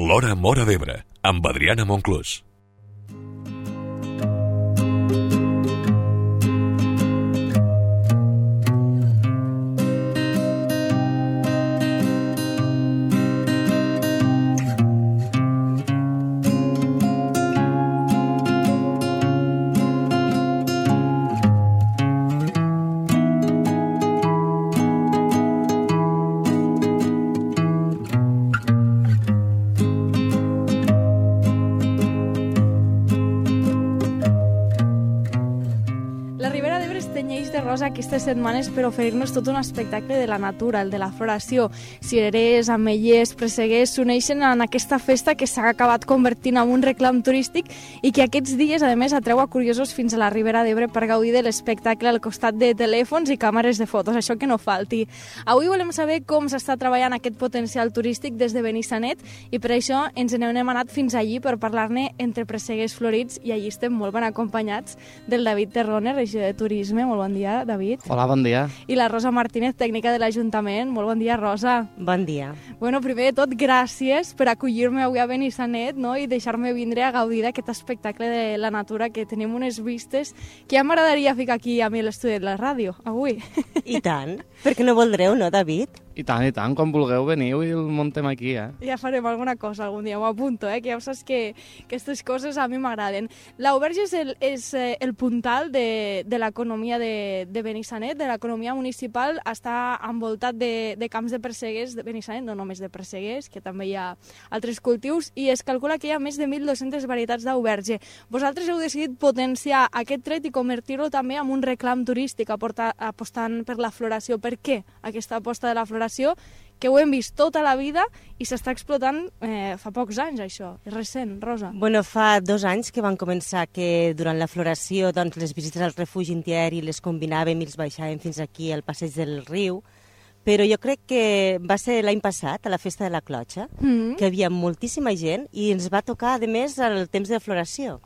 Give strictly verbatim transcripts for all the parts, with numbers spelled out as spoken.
L'Hora Móra d'Ebre, amb Adriana Monclús. Aquestes setmanes per oferir-nos tot un espectacle de la natura, el de la floració. Cirerers, ametllers, presseguers s'uneixen en aquesta festa que s'ha acabat convertint en un reclam turístic i que aquests dies, a més, atreu a curiosos fins a la Ribera d'Ebre per gaudir de l'espectacle al costat de telèfons i càmeres de fotos, això que no falti. Avui volem saber com s'està treballant aquest potencial turístic des de Benissanet i per això ens n'hem anat fins allí per parlar-ne entre presseguers florits i allí estem molt ben acompanyats del David Terrone, regidor de Turisme. Molt bon dia, David. Hola, bon dia. I la Rosa Martínez, tècnica de l'Ajuntament. Molt bon dia, Rosa. Bon dia. Bueno, primer de tot, gràcies per acollir-me avui a Benissanet, no? I deixar-me vindre a gaudir d'aquest espectacle de la natura, que tenim unes vistes que ja m'agradaria ficar aquí a mi a l'estudi de la ràdio, avui. I tant. Per què no voldreu, no, David? I tant, i tant. Quan vulgueu veniu i el muntem aquí, eh? Ja farem alguna cosa algun dia, m'ho apunto, eh? Que ja saps que aquestes coses a mi m'agraden. L'Auberge és, el, és el puntal de, de l'economia de, de Benissanet, de l'economia municipal. Està envoltat de, de camps de presseguers de Benissanet, no només de presseguers, que també hi ha altres cultius, i es calcula que hi ha més de mil dos-centes varietats d'auberge. Vosaltres heu decidit potenciar aquest tret i convertir-lo també en un reclam turístic, aportar, apostant per la floració. Per què aquesta aposta de la floració? Que ho hem vist tota la vida i s'està explotant eh, fa pocs anys, això. És recent, Rosa. Bueno, fa dos anys que van començar que durant la floració doncs, les visites al refugi antiaeri les combinàvem i els baixàvem fins aquí al passeig del riu, però jo crec que va ser l'any passat, a la festa de la Clotxa, mm-hmm. que hi havia moltíssima gent i ens va tocar, a més, el temps de floració.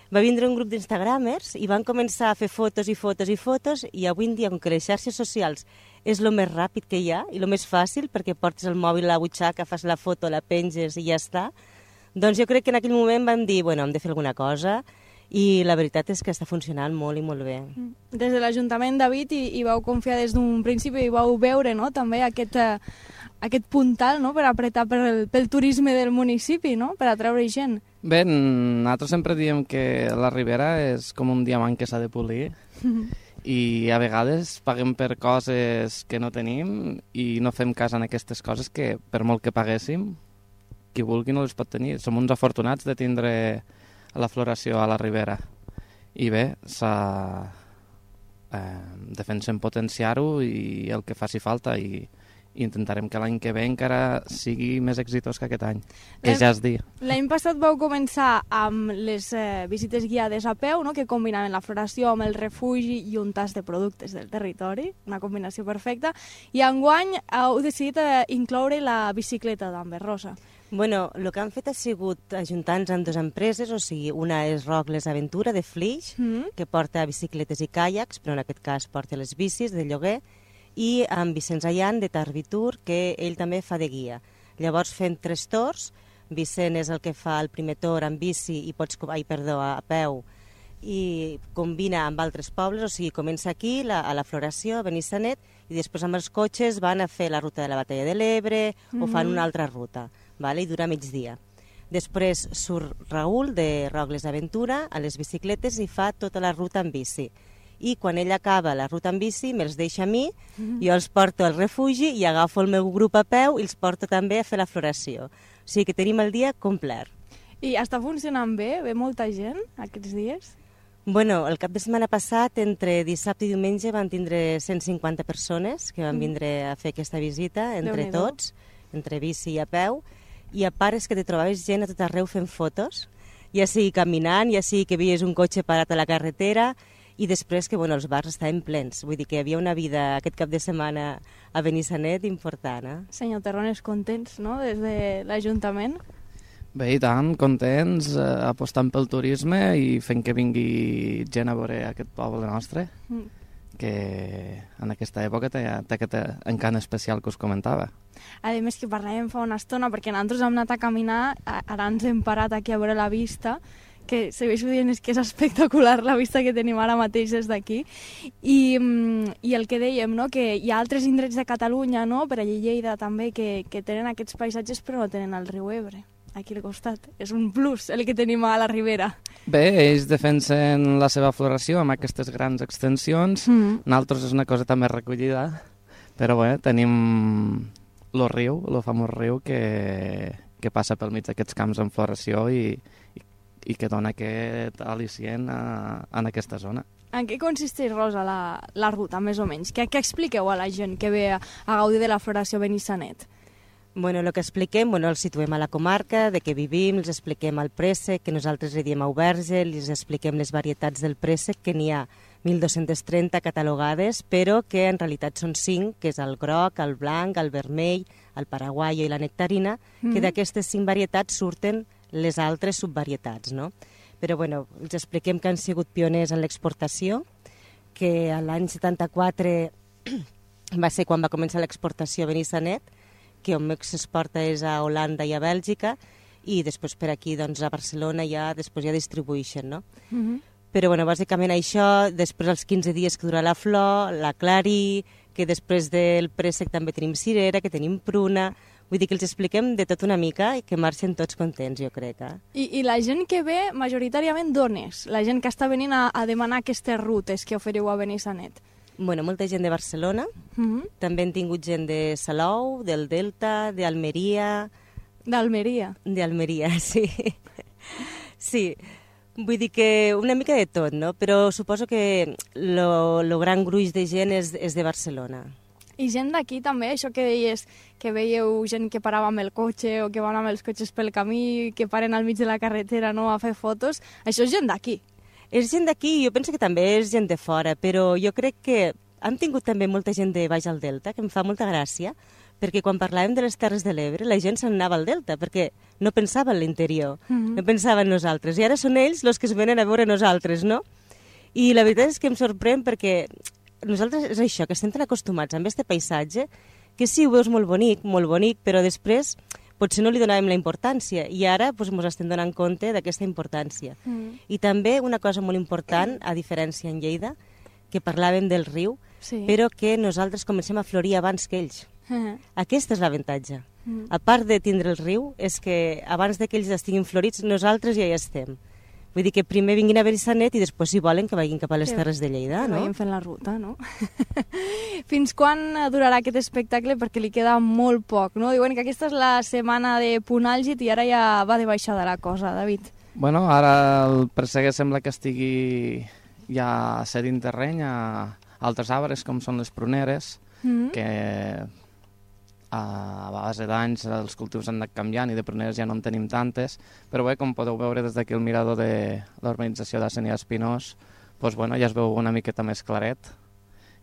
Va vindre un grup d'instagramers i van començar a fer fotos i fotos i fotos i avui en dia, com que les xarxes socials és el més ràpid que hi ha i el més fàcil perquè portes el mòbil a la butxaca, fas la foto, la penges i ja està, doncs jo crec que en aquell moment vam dir, bueno, hem de fer alguna cosa i la veritat és que està funcionant molt i molt bé. Des de l'Ajuntament, David, hi, hi vau confiar des d'un principi i vau veure, no?, també aquest, eh, aquest puntal, no?, per apretar pel, pel turisme del municipi, no?, per atraure gent. Bé, nosaltres sempre diem que la Ribera és com un diamant que s'ha de polir i a vegades paguem per coses que no tenim i no fem cas en aquestes coses que, per molt que paguéssim, qui vulgui no les pot tenir. Som uns afortunats de tindre la floració a la Ribera. I bé, s'ha... Eh, defensem potenciar-ho i el que faci falta i i intentarem que l'any que ve encara sigui més exitós que aquest any, que ja es dir. L'any passat vau començar amb les eh, visites guiades a peu, no?, que combinaven la floració amb el refugi i un tas de productes del territori, una combinació perfecta, i enguany heu decidit eh, incloure la bicicleta d'Amber, Rosa. Bueno, el que han fet ha sigut ajuntar-nos amb dues empreses, o sigui, una és Rocles Aventura, de Flix, mm-hmm. que porta bicicletes i caiacs, però en aquest cas porta les bicis de lloguer, i amb Vicenç Allan, de Tarvitur, que ell també fa de guia. Llavors fem tres torns, Vicent és el que fa el primer torn amb bici i pots, ai, perdó, a peu, i combina amb altres pobles, o sigui, comença aquí, la, a la floració, a Benissanet, i després amb els cotxes van a fer la ruta de la Batalla de l'Ebre, mm-hmm. o fan una altra ruta, vale? I dura migdia. Després surt Raül, de Rocles Aventura, a les bicicletes i fa tota la ruta en bici. I quan ell acaba la ruta en bici me'ls deixa a mi, mm-hmm. jo els porto al refugi i agafo el meu grup a peu i els porto també a fer la floració. O sigui que tenim el dia complet. I està funcionant bé? Ve molta gent aquests dies? Bueno, el cap de setmana passat, entre dissabte i diumenge, van tindre cent cinquanta persones que van vindre a fer aquesta visita, entre tots, entre bici i a peu, i a part és que te trobaves gent a tot arreu fent fotos, ja sigui caminant, ja sigui que veies un cotxe parat a la carretera, i després que bueno, els bars estaven plens. Vull dir que hi havia una vida aquest cap de setmana a Benissanet important. Eh? Senyor Terrones, contents, no?, des de l'Ajuntament? Bé, i tant, contents, eh, apostant pel turisme i fent que vingui gent a veure aquest poble nostre, mm. que en aquesta època té, té aquest encant especial que us comentava. A més que parlàvem fa una estona, perquè nosaltres hem anat a caminar, ara ens hem parat aquí a veure la vista, que segueixo dient és que és espectacular la vista que tenim ara mateix des d'aquí, i, i el que dèiem, no? Que hi ha altres indrets de Catalunya, no? Per allà Lleida també, que, que tenen aquests paisatges però no tenen el riu Ebre aquí al costat. És un plus el que tenim a la Ribera. Bé, ells defensen la seva floració amb aquestes grans extensions, mm. nosaltres és una cosa també recollida, però bé, tenim el riu, el famós riu que, que passa pel mig d'aquests camps en floració i, i, i que dona aquest al·licient a, en aquesta zona. En què consisteix, Rosa, la, la ruta, més o menys? Què, què expliqueu a la gent que ve a, a gaudir de la floració a Benissanet? Bueno, el que expliquem, bueno, els situem a la comarca, de què vivim, els expliquem el préssec, que nosaltres li diem auberge, els expliquem les varietats del préssec, que n'hi ha mil dos-centes trenta catalogades, però que en realitat són cinc, que és el groc, el blanc, el vermell, el paraguaio i la nectarina, mm. que d'aquestes cinc varietats surten les altres subvarietats, no? Però, bueno, els expliquem que han sigut pioners en l'exportació, que l'any setanta-quatre va ser quan va començar l'exportació a Benissanet, que on més s'exporta és a Holanda i a Bèlgica, i després per aquí, doncs, a Barcelona ja després ja distribueixen, no? Mm-hmm. Però, bueno, bàsicament això, després els quinze dies que dura la flor, la clarí, que després del préssec també tenim cirera, que tenim pruna, vull dir que els expliquem de tot una mica i que marxen tots contents, jo crec. Eh? I, I la gent que ve, majoritàriament d'on és? La gent que està venint a, a demanar aquestes rutes que oferiu a Benissanet? Bueno, molta gent de Barcelona, mm-hmm. també hem tingut gent de Salou, del Delta, d'Almeria... D'Almeria? D'Almeria, sí. Sí, vull dir que una mica de tot, no? Però suposo que lo, lo gran gruix de gent és, és de Barcelona. I gent d'aquí també, això que deies, que veieu gent que parava amb el cotxe o que van amb els cotxes pel camí, que paren al mig de la carretera, no?, a fer fotos, això és gent d'aquí. És gent d'aquí, jo penso que també és gent de fora, però jo crec que hem tingut també molta gent de baix al Delta, que em fa molta gràcia, perquè quan parlàvem de les Terres de l'Ebre, la gent se'n anava al Delta, perquè no pensava en l'interior, mm-hmm. no pensava en nosaltres, i ara són ells els que es venen a veure nosaltres, no? I la veritat és que em sorprèn perquè nosaltres és això, que estem tan acostumats amb aquest paisatge, que sí, ho veus molt bonic, molt bonic, però després potser no li donàvem la importància, i ara ens doncs, estem donant compte d'aquesta importància. Mm. I també una cosa molt important, a diferència en Lleida, que parlàvem del riu, sí. però que nosaltres comencem a florir abans que ells. Uh-huh. Aquest és l'avantatge. Uh-huh. A part de tindre el riu, és que abans que ells estiguin florits, nosaltres ja hi estem. Vull dir que primer vinguin a Benissanet i després, si volen, que vagin cap a les Terres de Lleida, que no? vagin fent la ruta, no? Fins quan durarà aquest espectacle? Perquè li queda molt poc, no? Diuen que aquesta és la setmana de punt àlgid i ara ja va de baixada la cosa, David. Bueno, ara el presseguer sembla que estigui ja cedint terreny a altres arbres, com són les pruneres, mm-hmm. que a base d'anys els cultius han anat canviant i de pruneres ja no en tenim tantes, però bé, com podeu veure des d'aquí el mirador de l'urbanització de Senia Espinós, doncs, bueno, ja es veu una miqueta més claret,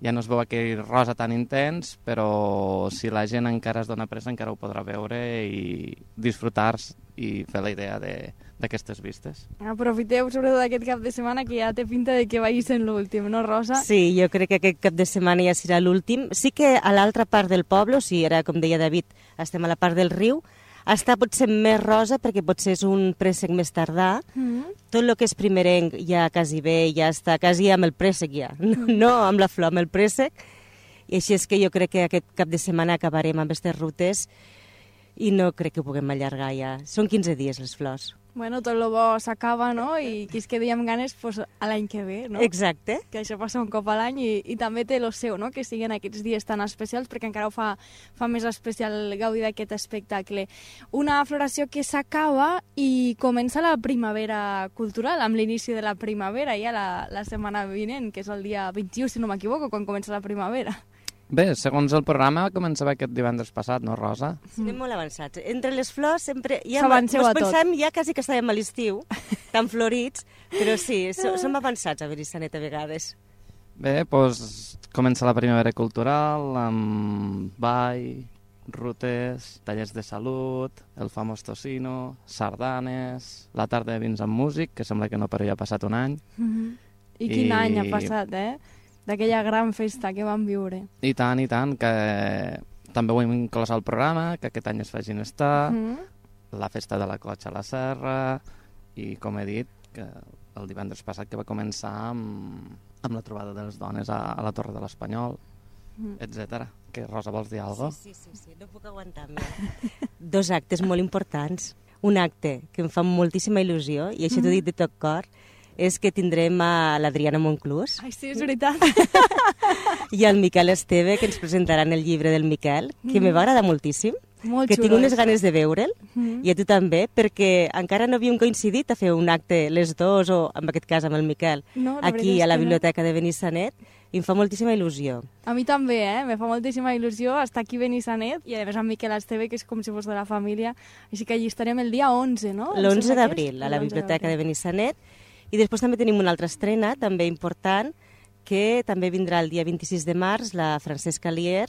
ja no es veu aquell rosa tan intens, però si la gent encara es dona pressa encara ho podrà veure i disfrutar i fer la idea d'aquestes vistes. Aprofiteu sobretot aquest cap de setmana que ja té pinta de que vagi sent l'últim, no, Rosa? Sí, jo crec que aquest cap de setmana ja serà l'últim. Sí que a l'altra part del poble, o sigui, ara, com deia David, estem a la part del riu, està potser més rosa perquè potser és un préssec més tardà. Mm-hmm. Tot el que és primerenc ja quasi bé, ja està quasi amb el préssec ja, no, no amb la flor, amb el préssec. I així és que jo crec que aquest cap de setmana acabarem amb aquestes rutes i no crec que ho puguem allargar ja. Són quinze dies les flors. Bueno, tot el bo s'acaba, no? I qui es quedi amb ganes, pues, a l'any que ve, no? Exacte. Que això passa un cop a l'any i, i també té el seu, no? Que siguin aquests dies tan especials perquè encara ho fa, fa més especial gaudir d'aquest espectacle. Una floració que s'acaba i comença la primavera cultural, amb l'inici de la primavera, ja la, la setmana vinent, que és el dia vint-i-u, si no m'equivoco, quan comença la primavera. Bé, segons el programa començava aquest divendres passat, no, Rosa? Sí, anem molt avançats. Entre les flors sempre... Ja s'avanceu a tot. Ens pensem ja quasi que estàvem a l'estiu, tan florits, però sí, som avançats a Benissanet a vegades. Bé, doncs comença la primavera cultural amb ball, rutes, tallers de salut, el famós tocino, sardanes, la tarda de vins amb músic, que sembla que no, però ja ha passat un any. Mm-hmm. I quin I... any ha passat, eh? d'aquella gran festa que vam viure. I tant, i tant, que també ho hem inclòs al programa, que aquest any es facin estar, mm. la festa de la cotxa a la serra, i com he dit, que el divendres passat que va començar amb, amb la trobada de les dones a, a la Torre de l'Espanyol, mm. etcètera. Que, Rosa, vols dir alguna cosa? Sí, sí, sí, sí, no puc aguantar més. Dos actes molt importants. Un acte que em fa moltíssima il·lusió, i això mm. t'ho dic de tot cor, és que tindrem a l'Adriana Monclús. Ai, sí, és veritat. I el Miquel Esteve, que ens presentaran el llibre del Miquel, que mm. me va agradar moltíssim. Molt que xulo, tinc unes això. ganes de veure'l, mm. i a tu també, perquè encara no havíem coincidit a fer un acte les dos, o en aquest cas amb el Miquel, no, aquí a la biblioteca no. de Benissanet, i em fa moltíssima il·lusió. A mi també, eh? Me fa moltíssima il·lusió estar aquí a Benissanet, i a més amb Miquel Esteve, que és com si fos de la família, així que allí estarem el dia onze, no? L'onze d'abril, a la biblioteca de Benissanet, i després també tenim una altra estrena, també important, que també vindrà el dia vint-i-sis de març, la Francesca Lier,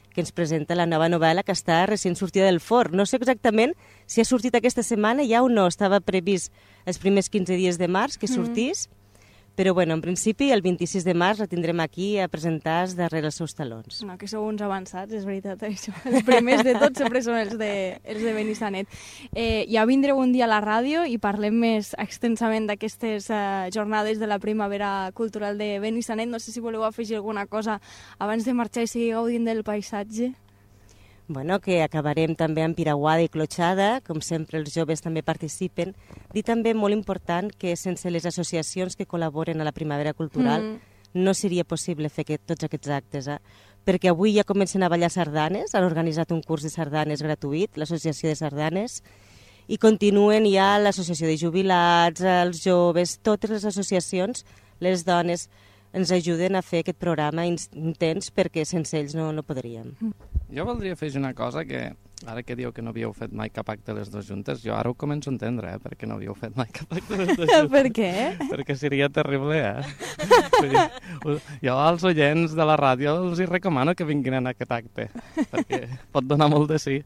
que ens presenta la nova novel·la que està recent sortida del forn. No sé exactament si ha sortit aquesta setmana ja o no, estava previst els primers quinze dies de març que sortís, mm. però bueno, en principi el vint-i-sis de març la tindrem aquí a presentar darrere els seus talons. No, que sou uns avançats, és veritat, això. Els primers de tots sempre són els de, els de Benissanet. Eh, ja vindreu un dia a la ràdio i parlem més extensament d'aquestes eh, jornades de la primavera cultural de Benissanet. No sé si voleu afegir alguna cosa abans de marxar i seguir gaudint del paisatge. Bueno, que acabarem també amb piraguada i clotxada, com sempre els joves també participen. Dir també molt important que sense les associacions que col·laboren a la primavera cultural mm. no seria possible fer aquest, tots aquests actes, eh? Perquè avui ja comencen a ballar sardanes, han organitzat un curs de sardanes gratuït, l'Associació de Sardanes, i continuen ja l'associació de jubilats, els joves, totes les associacions, les dones, ens ajuden a fer aquest programa intens perquè sense ells no, no podríem. Jo voldria afegir una cosa que, ara que dieu que no havíeu fet mai cap acte les dues juntes, jo ara ho començo a entendre, eh, perquè no havíeu fet mai cap acte les dues juntes. Per què? Perquè seria terrible, eh? Dir, jo als oients de la ràdio els hi recomano que vinguin a aquest acte, perquè pot donar molt de sí.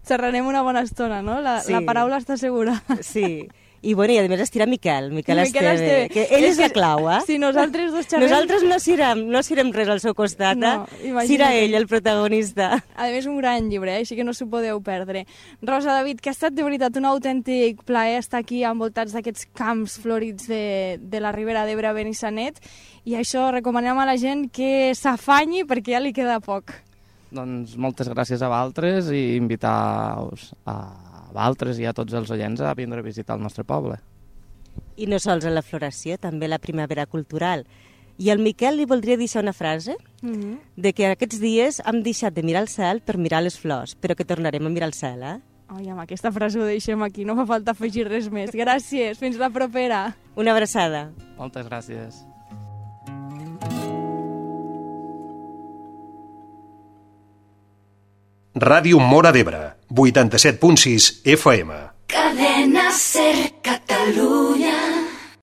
Xerrarem una bona estona, no? La, sí. la paraula està segura. Sí. I, bueno, i a més estirà Miquel, Miquel, Miquel Esteve, Esteve, que ell és, és la clau, eh? Si nosaltres dos xerrem... Nosaltres no sirem, no sirem res al seu costat, no, eh? Sirà ell el protagonista. A més, un gran llibre, eh? Així que no s'ho podeu perdre. Rosa, David, que ha estat de veritat un autèntic plaer estar aquí envoltats d'aquests camps florits de, de la Ribera d'Ebre a Benissanet, i això recomanem a la gent que s'afanyi perquè ja li queda poc. Doncs moltes gràcies a vosaltres i invitar-vos a a vosaltres i a tots els oients a vindre a visitar el nostre poble. I no sols a la floració, també la primavera cultural. I al Miquel li voldria deixar una frase mm-hmm. de que aquests dies hem deixat de mirar el cel per mirar les flors, però que tornarem a mirar el cel, eh? Ai, amb aquesta frase ho deixem aquí, no fa falta afegir res més. Gràcies, fins la propera. Una abraçada. Moltes gràcies. Ràdio Móra d'Ebre, vuitanta-set punt sis F M. Cadena Ser Catalunya.